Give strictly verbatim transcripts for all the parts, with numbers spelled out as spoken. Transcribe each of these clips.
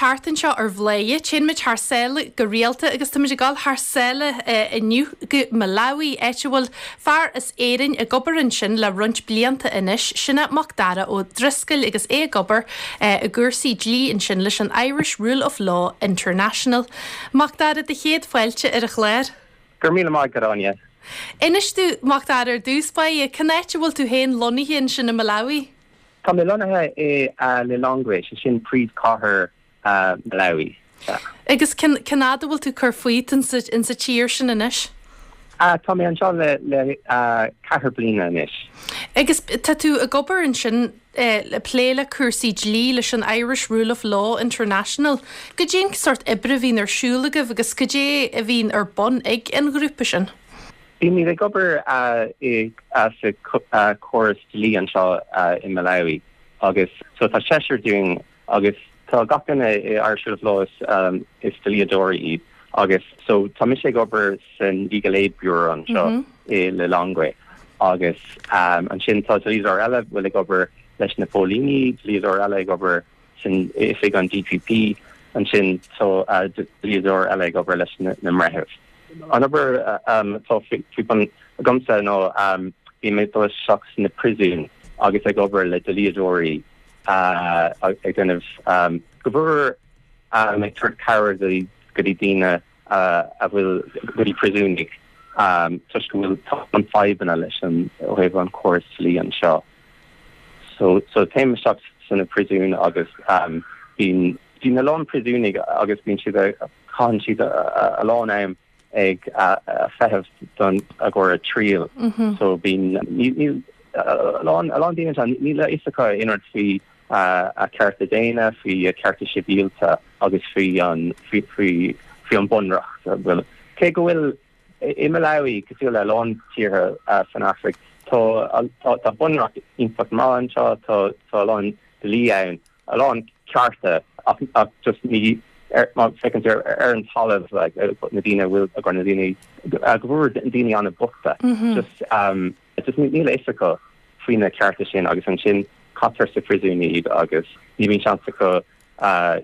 teacht anseo ar Bhladhaire, téann muid thar sáile go rialta agus táimid ag dul thar sáile inniu go Malawi áit a bhfuil fear as Éirinn ag obair ansin le roinnt blianta anois, sin é Macdara Ó Drisceoil agus é ag obair i gcúrsaí dlí ansin leis an Irish Rule of Law International. Macdara do chéad fáilte ar an chlár. Gur míle maith agat Áine. Inis domh Macdara ar dtús báire cén áit a bhfuil tú féin lonnaithe ansin i Malawi. Tá mé lonnaithe i Lilongwe sé sin príomhchathair Malawi. Agus cén fhad a bhfuil tú cur fút insa tír sin anois? Tá mé anseo le le ceathair bliana anois. Agus tá tú ag obair ansin le plé le cúrsaí dlí leis an Irish Rule of Law International. Cad é an sórt oibre a bhíonn ar siúl agaibh agus cad é a bhíonn ar bun ag an ghrúpa sin. Bímid ag obair sa córas dlí anseo i Malawi agus so tá seisear dúinn agus tá gach duine i Irish Rule of Law is, um, is dlíodóirí iad agus so tá mise ag obair san Legal Aid Bureau anseo mm -hmm. i Lilongwe agus um, ansin tá dlíodóir eile bhfuil ag obair leis na póilíní dlíodóir eile ag obair san oifig an DPP ansin tá uh, dlíodóir eile ag obair leis na, na breithimh. An obair um, tá faoi agamsa nó um, bhí mé dul isteach sna príosúin agus ag obair le dlíodóirí uh, ag déanamh um, go bhfuil um, ag tabhairt cabhair go dtí daoine uh, a bhfuil go dtí príosúnaigh um, toisc go bhfuil an fadhbanna leis an ó thaobh an córas dlí anseo. So so téim isteach sna príosúin agus um, bíonn bíonn a lán príosúnaigh agus bíonn siad caitheann siad a lán am ag feitheamh don a gcóir a triail mm -hmm. so bíonn a lán a lán daoine níl a fhios acu aon rud faoi a cearta daonna faoi a cearta sibhialta agus faoi an faoi faoi faoi an bunreacht bhfuil cé go bhfuil i Malawi cosúil le lán tíortha san Afraic tá tá bunreacht iontach maith anseo tá tá lán dlí ann a lán cearta ach ach just ní ar feiceann ar ar an talamh like na daoine bhfuil a na daoine go bhfuil daoine an-bhochta just um just níl a fhios acu faoi na cearta sin agus ansin caitear sa phríosún iad agus ní bhíonn seans acu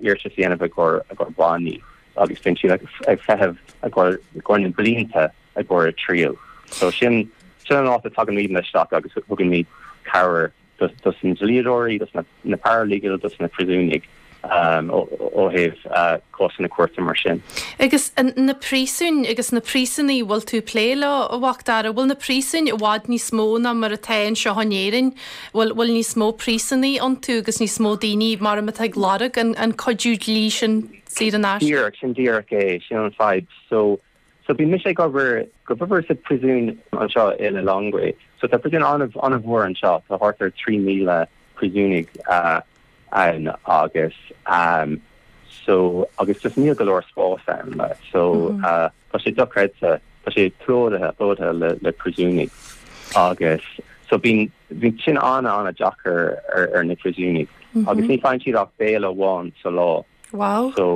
iarratas a dhéanamh i gcomhair i gcomhair bannaí agus bíonn siad ag feitheamh i gcomhair gcomhair na blianta i gcomhair a triail. So sin sin an áit a tagann muid isteach agus thugann muid cabhair dos dos na dlíodóirí, dos na, na paralegal, dos na príosúnaigh um, ó thaobh uh, cásanna cúirte mar sin. Agus na príosúin agus na príosúnaigh bhfuil tú plé leo a Mhacdara, bhfuil na príosúin i bhfad níos mó ná mar atá anseo in Éirinn, bhfuil bhfuil níos mó príosúnaigh iontu agus níos mó daoine mar atá ag lorg an, an cuidiú dlí sin saor in aisce. Díreach sin díreach é sin an fadhb. So so bhí mise ag obair go bhfuir sa príosún anseo i Lilongwe. So tá príosún an-mhór anseo tá thart ar trí míle príosúnaigh uh, ann agus um, so agus just níl go leor spás ann like, so mm -hmm. uh, tá sé dochreidte tá sé plódaithe plódaithe le le príosúnaigh agus so bíonn bíonn sin an an-deacair ar, ar na príosúnaigh mm -hmm. agus ní faigheann siad ach béile amháin sa lá wow so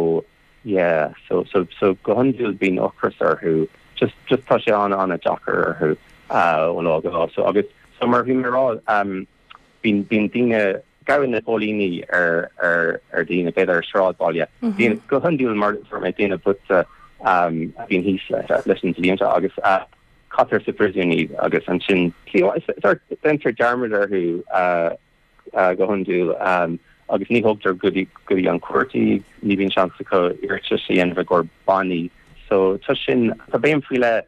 yeah so so so go hiondúil bíonn ocras orthu just just tá sé an an-deacair orthu uh, ó lá go lá so agus so mar bhí mé rá um, bíonn bíonn daoine gabhann na póilíní ar ar ar daoine b'fhéidir ar sráidbhaile. Mm -hmm. go hiondúil mar mé daoine bochta um, a bhíonn thíos le leis an dlí agus uh, caitear sa phríosún iad agus ansin déantar dearmad orthu uh, uh, go hiondúil um, agus ní thugtar go dtí go dtí an cúirt ní bhíonn seans acu iarratas a dhéanamh i gcomhair bannaí. So tá sin tá béim faoi leith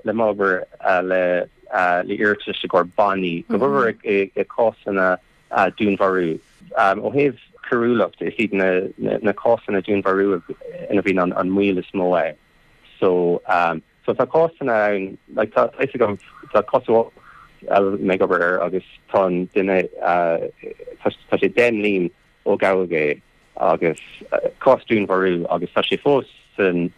le m'obair uh, le uh, le iarratas i gcomhair bannaí go bhfuil i, i cásanna uh, dúnmharú. Um, ó thaobh coiriúlacht is iad na, na, na cásanna dúnmharú ina bhíonn an, an moill is mó é. So um, so tá cásanna ann like, tá gom tá cás mé ag obair air agus tá duine uh, tá sé deich mbliana ó gabhadh é agus uh, cás dúnmharú agus tá sé fós san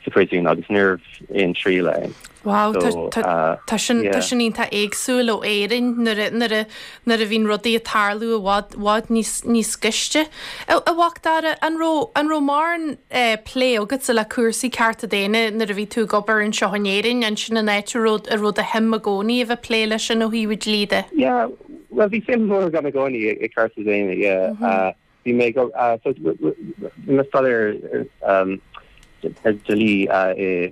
sa phríosún agus ní raibh aon triail ann. Wow, tá sin sin iontach éagsúil ó Éirinn nuair a bhíonn rudaí ag tarlú i bhfad bhfad níos níos gaiste. A Mhacdara an raibh an raibh mórán plé agatsa le cúrsaí cearta daonna nuair a bhí tú ag obair anseo in Éirinn an sin an áit a raibh a raibh do shuim i gcónaí a bheith plé leis sin ó thaobh dlí de. Yeah, well bhí suim mór agam i gcónaí i cearta daonna yeah. Mm -hmm. uh, bhí mé so bhí mé staidéar um, ar dlí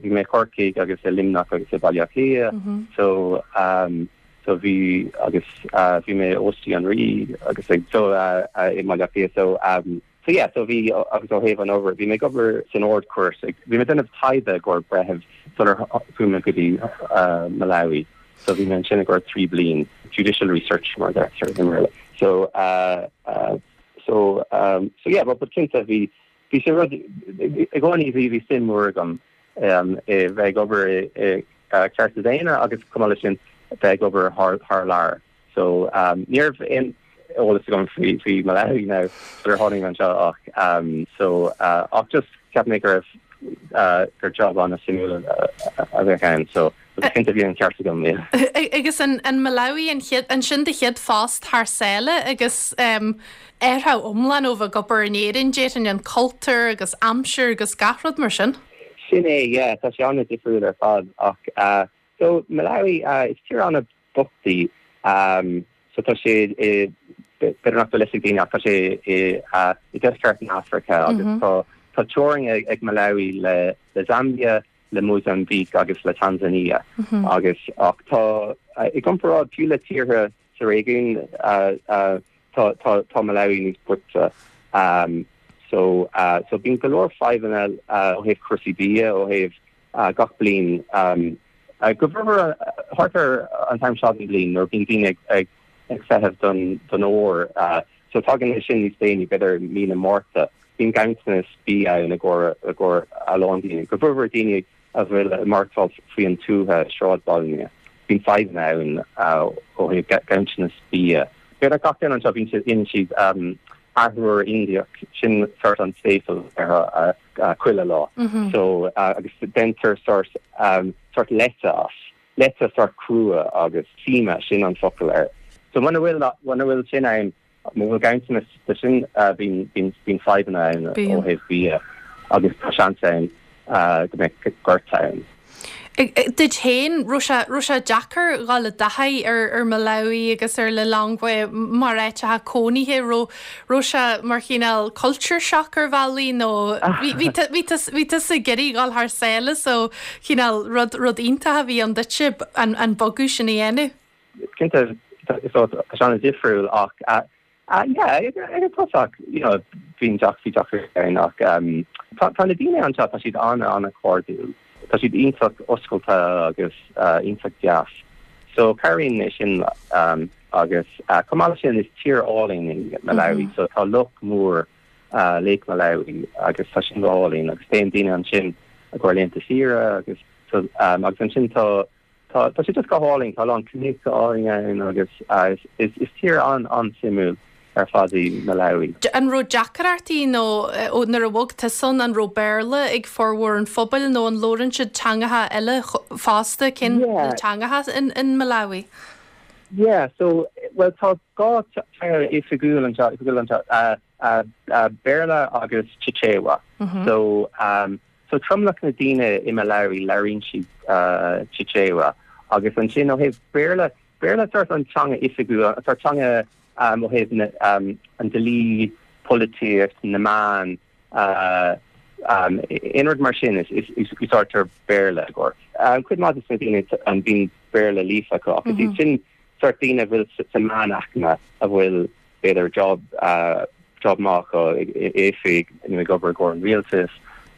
bhí mé Corcaigh agus i Luimneach agus i Baile Átha Cliath so um, so bhí agus uh, bhí mé Óstí an Rí agus ag so uh, uh, i Baile Átha Cliath so um, so yeah so bhí agus ó thaobh an obair bhí mé ag obair san Ard-Chúirt bhí mé ag déanamh taighde i gcomhair breitheamh sular chuaigh mé go dtí uh, Malawi so bhí mé ansin i gcomhair trí bliana judicial research mar deirtear so uh, uh, so um, so yeah but but cinnte bhí bhí sé rud i gcónaí bhí bhí suim mór agam um, i bheith ag obair i uh, cearta daonna agus chomh maith sin bheith ag obair thar thar lear so um, ní raibh aon eolas agam faoi faoi Malawi now sular tháinig anseo ach um, so uh, ach just cheap mé go raibh uh, gur job an-suimiúil a bheadh ann so cinnte bhí an ceart agam yeah. Agus an, an Malawi an, chéad, an sin do chéad phost thar sáile agus um, athrú iomlán ó bheith ag obair in Éirinn déarfainn an cultúr agus aimsir agus gach rud mar sin? Sin é yeah, tá sé an-difriúil ar fad ach uh, so Malawi uh, is tír an-bhocht í um, so tá sé b'fhéidir nach bhfuil daoine tá sé i uh, i deisceart na Afraice agus mm -hmm. tá tá teorainn ag, ag Malawi le le Zambia le Mozambique agus le Tanzania mm -hmm. agus ach tá uh, i gcomparáid fiú le tíortha sa réigiún uh, uh, tá tá tá Malawi níos boichte um, so uh, so bíonn go leor fadhbanna uh, ó thaobh cúrsaí bia ó thaobh uh, gach bliain um, uh, go bhfuil thart ar an t-am seo den bhliain nuair bíonn daoine ag ag ag feitheamh don don ór uh, so tagann sin níos déanaí b'fhéidir mí na Márta bíonn ganntanas bia i gcomhair i gcomhair a lán daoine go bhfuil daoine a bhfuil maireachtáil faoin tuath sráidbhaile bíonn fadhbanna ann ó thaobh ganntanas bia. B'fhéidir gach duine anseo bíonn siad in siad um, arthúr Indiach sin sort an staple ar uh, uh, chuile lá. Mm -hmm. So uh, agus déantar sort um, sort leite as leite sort crua agus nsima sin an focal air. So muna bhfuil muna bhfuil sin ann muna bhfuil ganntanas de sin uh, bíonn bíonn bíonn fadhbanna ann ó thaobh bia agus tá seans ann uh, go mbeidh gorta ann. Duit féin raibh sé deacair dul i dtaithí ar ar Malawi agus ar Lilongwe mar áit cónaithe raibh raibh sé mar chineál culture shock ar bhealaí nó bhí tusa ag iarraidh dul thar sáile so chineál rud rud iontach a bhí ann duitse an an bogadh sin a dhéanamh. Cinnte so sé an-difriúil ach uh, uh, yeah, ag tosach you know bhín deach bhí deacair ann ach um, tá na daoine anseo tá siad an an-chairdiúil. Tá siad iontach oscailte agus uh, iontach deas. So cabhraíonn sin um, agus uh, chomh maith sin is tír álainn í Malawi, mm -hmm. so tá loch mór uh, Lake Malawi agus tá sin álainn agus téann daoine ansin i gcomhair laethanta saoire agus so, um, agus ansin tá tá tá sé just go hálainn tá an cnoic álainn ann agus uh, is, is tír an an-suimiúil ar fad í Malawi. An raibh deacrachtaí nó ó nuair a bhog tusa ann an raibh Béarla ag formhór an phobail nó an labhrann siad teangacha eile fosta cén yeah. teangacha in, in Malawi? Yeah, so well tá dhá teanga oifigiúil anseo oifigiúil anseo uh, uh, uh, Béarla agus Chichewa. Mm -hmm. So um, so tromlach na daoine i Malawi labhraíonn siad uh, Chichewa agus ansin ó thaobh Béarla Béarla sort an teanga oifigiúil sort teanga um, ó thaobh um, an dlí polaitíocht na meáin uh, um, aon rud mar sin is is is úsáidtear Béarla go. Um, cuid mhaith de na daoine an bíonn Béarla líofa acu agus mm -hmm. sin sort daoine bhfuil sa meánaicme a bhfuil b'fhéidir job uh, job maith oifig nó ag obair don rialtas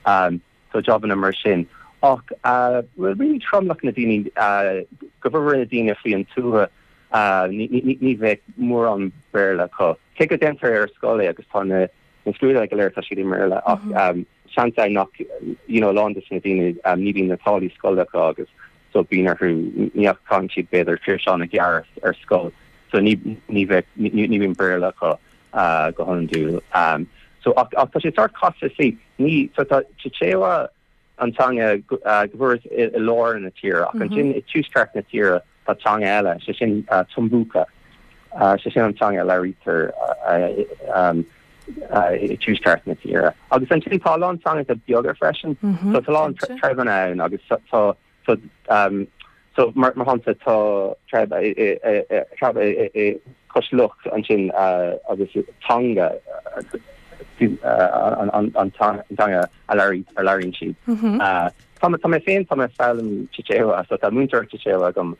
um, so jobanna mar sin. Ach uh, well really tromlach na daoine uh, go bhfuil na daoine faoin tuath uh, ní bheadh mórán Béarla acu. Cé go ndéantar ar scoil agus tá na na scrúduithe go léir tá siad i mBéarla ach mm -hmm. um, seans nach you know, lán de na daoine um, ní bhíonn na táillí scoile acu agus so bíonn orthu ní caitheann siad b'fhéidir tréimhse gearr ar scoil so ní ní bheadh ní bhíonn Béarla acu uh, go hiondúil. Um, so ach, ach tá sé sort casta sí ní so tá Chichewa an teanga uh, go i, i lár na tíre ach mm -hmm. ansin i tuaisceart na tíre tá teanga eile sé sin uh, Tumbuka uh, sé sin an teanga a labhraítear uh, um, uh, i tuaisceart na tíre. Agus ansin tá lán teangacha beaga freisin mm -hmm. so tá lán treibheanna ann agus tá so um, so mar mar shampla tá tribe tribe i cois loch ansin agus Tonga an an an teanga a labhraíonn siad. Tá tá mé féin tá mé ag foghlaim Chichewa so tá múinteoir Chichewa agam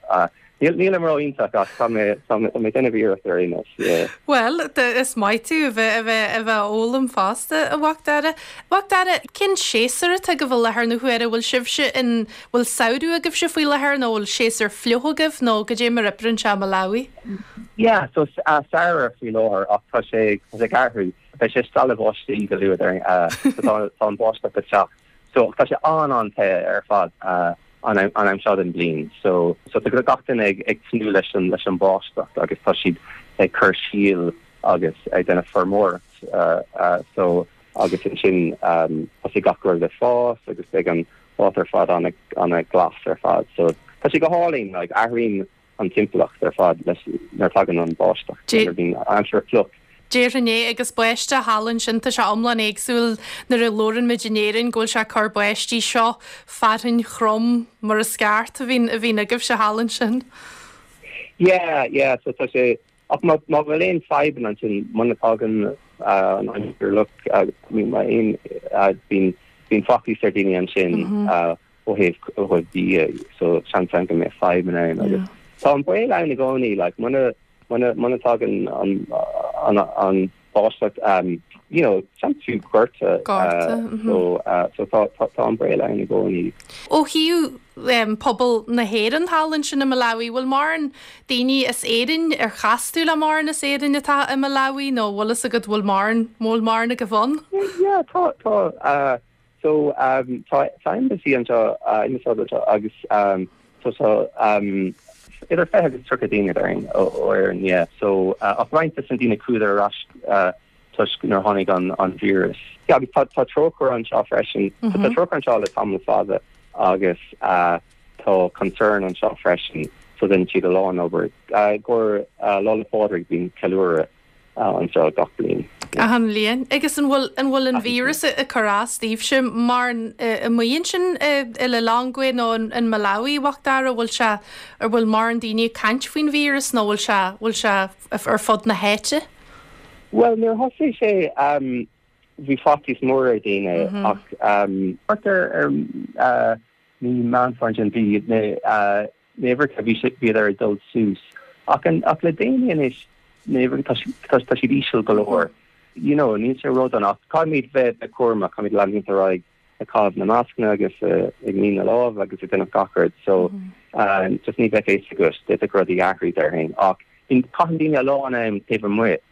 Níl níl ró-iontach ach tá mé tá mé déanamh iarracht ar aon nós. Well is maith tú a bheith a bheith a bheith ag foghlaim fosta a Mhacdara. Mhacdara cén séasúr atá agaibh i láthair na huaire bhfuil sibhse in bhfuil samhradh agaibhse faoi láthair nó bhfuil séasúr fliuch agaibh nó goidé mar a oibríonn sé Malawi? Yeah, so uh, samhradh faoi láthair ach tá sé tá sé ag athrú Beidh sé stealladh báistí go luath ar uh, tá an báisteach ag teacht. So tá sé an an-te ar fad uh, an an am seo den bliain. So so tá gach duine ag ag tnúth leis an leis an báisteach agus tá siad ag cur síl agus ag déanamh feirmeoireacht uh, uh, so agus ansin um, tá sé gach rud le fás agus ag an áit ar fad an an glas ar fad. So tá sé go hálainn like, athraíonn an timpeallacht ar fad leis nuair a thagann an báisteach bíonn aimsir fliuch. Déarfainn é agus báisteach thall ansin tá sé iomlán éagsúil nuair a labhrann muid in Éirinn go bhfuil sé cur báistí seo fearthainn throm mar is ceart a bhíonn a bhíonn agaibhse thall ansin. Yeah, yeah, so tá sé ach má má bhfuil aon fadhbanna ansin muna dtagann uh, an aimsir fhliuch uh, má aon uh, bíonn bíonn faitíos ar daoine ansin uh, ó thaobh ó thaobh bia so seans ann go mbeidh fadhbanna ann agus tá an baol ann i gcónaí like muna muna muna tagann an an an báisteach um, you know seans fiú gorta Gorta, uh, mhm. so uh, so tá tá tá an baol ann i gcónaí. Ó thaobh um, pobal na hÉireann thall ansin i Malawi, bhfuil mórán daoine as Éirinn ar chas tú le mórán as Éirinn atá i Malawi nó bhfuil fhios agat bhfuil mórán bhfuil mórán agaibh ann? Yeah, tá tá uh, so um, tá tá embassy anseo uh, ambasáid anseo agus um, so so um, idir fiche agus tríocha daoine ar ó Éirinn yeah so uh, ach roinnt de na daoine chuaigh ar ais uh, toisc nuair tháinig an an virus. Yeah, agus tá tá trócaire anseo freisin mm -hmm. tá trócaire anseo le tamall fada agus uh, tá concern anseo freisin so déanann siad a lán obair uh, gur uh, Lá 'le Pádraig bíonn ceiliúradh uh, anseo gach bliain. Achan bhliain. Agus an bhfuil an bhfuil an víreas ag cur as daoibhse mar i muon sin i Lilongwe nó in Malawi Mhacdara bhfuil sé ar bhfuil mórán daoine ag caint faoin víreas nó bhfuil sé bhfuil sé ar fud na háite? Well nuair thosaigh sé um, bhí faitíos mór ar daoine mm -hmm. ach um, ar ar uh, mí Meán Fómhair bhí na uh, uimhreacha bhí bhí ar dul suas ach an ach le déanaí anois tá tá siad íseal go leor. You know, níl sé ró-dona ach caithfimid bheith bheith cúramach caithfimid leanúint ar aghaidh ag caitheamh na mascanna agus uh, ag ní na lámh agus ag déanamh gach rud so mm -hmm. uh, just ní bheith éis agus de rudaí athrú déarfainn ach caitheann daoine a lán am taobh amuigh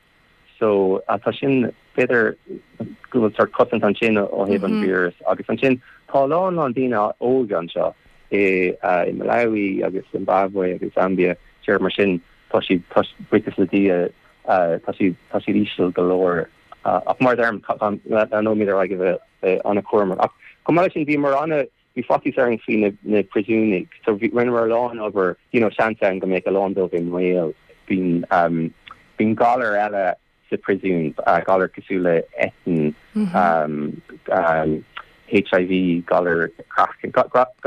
so uh, tá sin b'fhéidir go bhfuil sort cosaint ansin ó thaobh an víreas agus ansin tá lán lán daoine óga anseo i uh, i Malawi agus Zimbabwe agus Zambia sé mar sin tá siad buíochas le Dia uh, tá siad tá siad íseal go leor uh, ach mar derm nóí ar bheith an-chúramach ach chomh maith sin bhí mar anna bhí faitíos orainn faoi na, na príosúnaigh so bhí rinneamar a lán obair you know seans ann go mbeadh a lán dóibh i mbaol bíonn um, bíonn galar eile sa príosún uh, galar cosúil le eitinn mm -hmm. um, um, HIV galar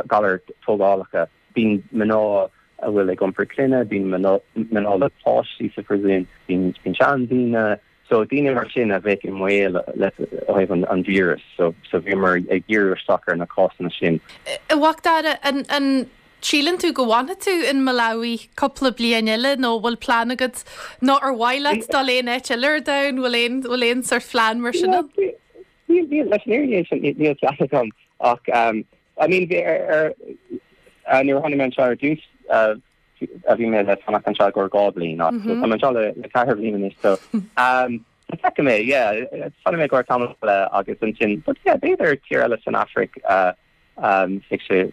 galar tógálacha bíonn mná a bhfuil ag iompar clainne bíonn mná le páistí sa príosún bíonn bíonn seandaoine so daoine mar sin a bheith i mbaol le ó an, an víreas so so bhíomar ag díriú isteach ar na cásanna sin. A Mhacdara an an síleann tú go bhfanfaidh tú in Malawi cúpla bliain eile nó bhfuil plean agat nó ar mhaith leat dul aon áit eile ar domhan bhfuil aon bhfuil aon sort phlean mar sin? Níl leis níl plean agam ach um, I mean bhí ar ar nuair tháinig mé anseo ar dtús a bhí mé le fanacht anseo go dhá bhliain tá mé anseo le le ceithre bliana anois so um, Feicfidh mé yeah fanfaidh mé go tamall eile agus ansin but yeah b'fhéidir tír eile san Afraic uh, um, sé sé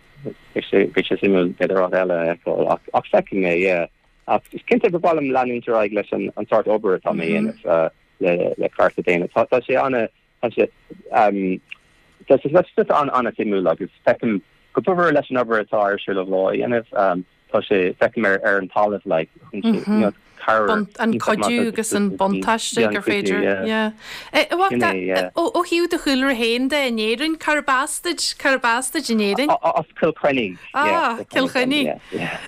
sé suimiúil b'fhéidir áit eile ach ach feicfidh mé yeah ach is cinnte go bhfuilim leanúint ar aghaidh leis an an sort obair atá mé dhéanamh uh, le le cearta daonna tá tá sé an tá sé um, tá sé just an an-suimiúil agus feicim go bhfuil leis an obair atá Irish Rule of Law dhéanamh um, tá sé feicim ar ar an talamh like mm -hmm. cabhair. An cuidiú agus an buntáiste gur féidir. Ó thaobh do chúlra féin de in Éirinn, cárb as duit cárb as duit in Éirinn? As Cill Chainnigh. Ah, Cill Chainnigh.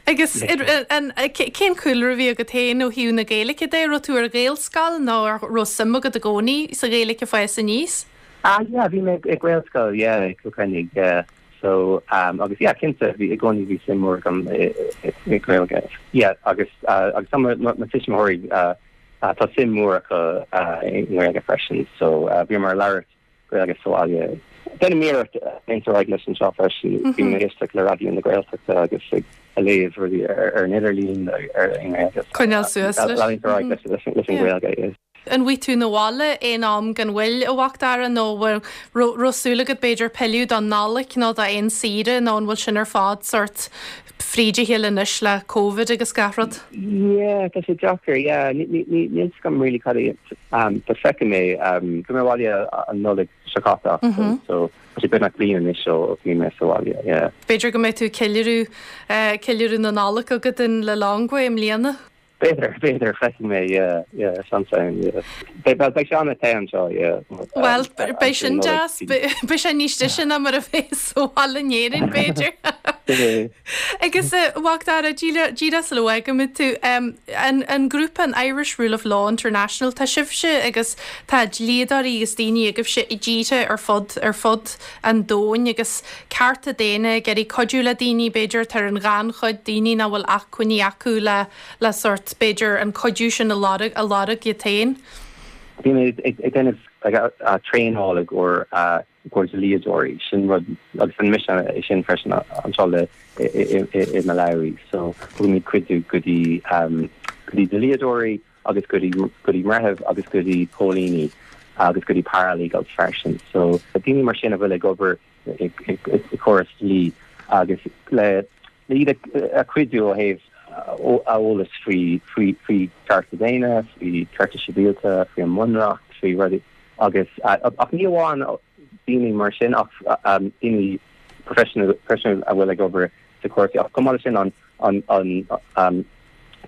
Agus cén cúlra a bhí agat féin ó thaobh na Gaeilge de raibh tú ar Ghaelscoil nó raibh suim agat i gcónaí sa Ghaeilge ag fás aníos? Ah yeah, bhí mé ag Gaelscoil, yeah, i Cill Chainnigh, yeah. So um, agus yeah, cinnte bhí i gcónaí bhí suim mór agam i Gaeilge. Yeah, agus uh, agus tá mo tuismitheoirí uh, uh, tá suim mór acu uh, i nGaeilge freisin, so uh, bhíomar ag labhairt Gaeilge sa bhaile. Déanaim iarracht leanúint ar aghaidh leis anseo freisin bím ag éisteacht le Raidió na Gaeltachta agus ag léamh rudaí ar ar an idirlíon ar i nGaeilge. Coinneáil suas leis. Leanúint ar aghaidh leis leis an Ghaeilge. Yes. An bhfuil tú na bhaile aon am gan mhoill a Mhacdara nó raibh súil agat b'fhéidir pilleadh don Nollaig nó do aon saoire nó an bhfuil sin ar fad sort fríd a chéile anois le Covid agus gach rud? Yeah, tá sé deacair, yeah. Níl a fhios agam really cad é um, but feicfidh mé um, bhí mé abhaile an Nollaig seo caite mm-hmm. so tá sé beagnach bliain anois ó bhí mé sa bhaile, yeah. B'fhéidir go mbeidh tú ceiliúradh uh, ceiliúradh na Nollag agat in Lilongwe i mbliana? B'fhéidir, b'fhéidir feicfidh mé, yeah, yeah, seans yeah. Beidh beidh sé an-te anseo, yeah. Well, beidh sin deas, beidh sé níos deise ná mar a bheas sa bhaile in Éirinn b'fhéidir. Agus Mhacdara díreach sula bhfágfaimid tú an an grúpa an Irish Rule of Law International tá sibhse agus tá dlíodóirí agus daoine agaibhse i dtíortha ar fud ar fud an domhain agus cearta daonna ag iarraidh cuidiú le daoine b'fhéidir tar an ghannchuid daoine nach bhfuil acmhainní acu le le sort b'fhéidir an cuidiú sin a lorg a lorg iad féin. Bhí mé ag déanamh traenáil i gcomhair i gcomhair dlíodóirí sin rud agus an mise é sin freisin anseo le i Malawi so thugaimid cuidiú go dtí go dtí dlíodóirí agus go dtí go dtí breithimh agus go dtí póilíní agus go dtí paralegals freisin so daoine mar sin a bhfuil ag obair i córas dlí agus le le iad a chuidiú ó thaobh eolas faoi faoi faoi cearta daonna, faoi cearta sibhialta, faoi an mbunreacht, faoi rudaí agus ach ní amháin daoine mar sin ach daoine professional professional a bhfuil ag obair sa cúrsaí ach chomh maith leis sin an an an um,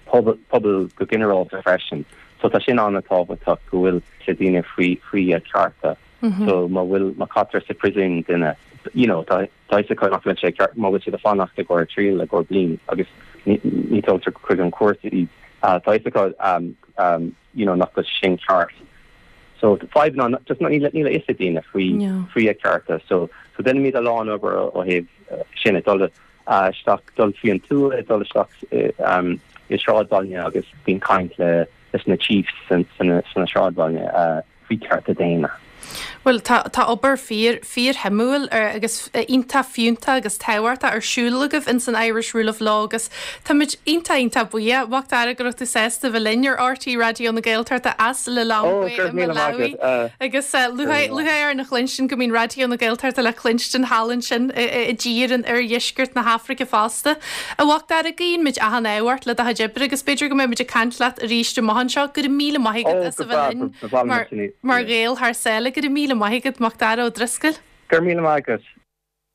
pobal pobal go ginearálta freisin. So tá sin an-tábhachtach go bhfuil sé daoine faoi faoi a cearta. So má bhfuil má caitear sa prison duine you know tá tá sé nach bhfuil sé ceart má bhfuil siad ag fanacht i gcomhair triail i gcomhair bliain agus ní ní tógtar chuig an cúirt iad uh, tá sé um, um, you know nach bhfuil sin ceart. So fadhb ná just níl níl a fhios ag daoine faoi faoi a cearta so so déanaimid a lán obair ó thaobh uh, sin dul uh, isteach dul faoi an tuath dul isteach um, i sráidbhaile agus bíonn caint le leis na chiefs san san san sráidbhaile uh, faoi cearta daonna. Well tá tá obair fíor fíorshuimiúil agus iontach fiúntach agus tábhachtach ar siúl agaibh in san Irish Rule of Law agus Táimid iontach iontach buíoch Mhacdara go raibh tú sásta bheith linn ar RTÉ Raidió na Gaeltachta as Lilongwe Malawi agus lúcháir orainn a chluinstin go mbíonn Raidió na Gaeltachta le cluinstin thall ansin i dtír in oirdheisceart na hAfraice fosta. A Mhacdara guímid achan ádh ort le do chuid oibre agus b'fhéidir go mbeimid ag caint leat arís amach anseo go raibh míle maith agat as a bheith linn mar mar Ghael thar sáile go raibh míle maith agat Macdara Ó Drisceoil. Gur míle maith agat.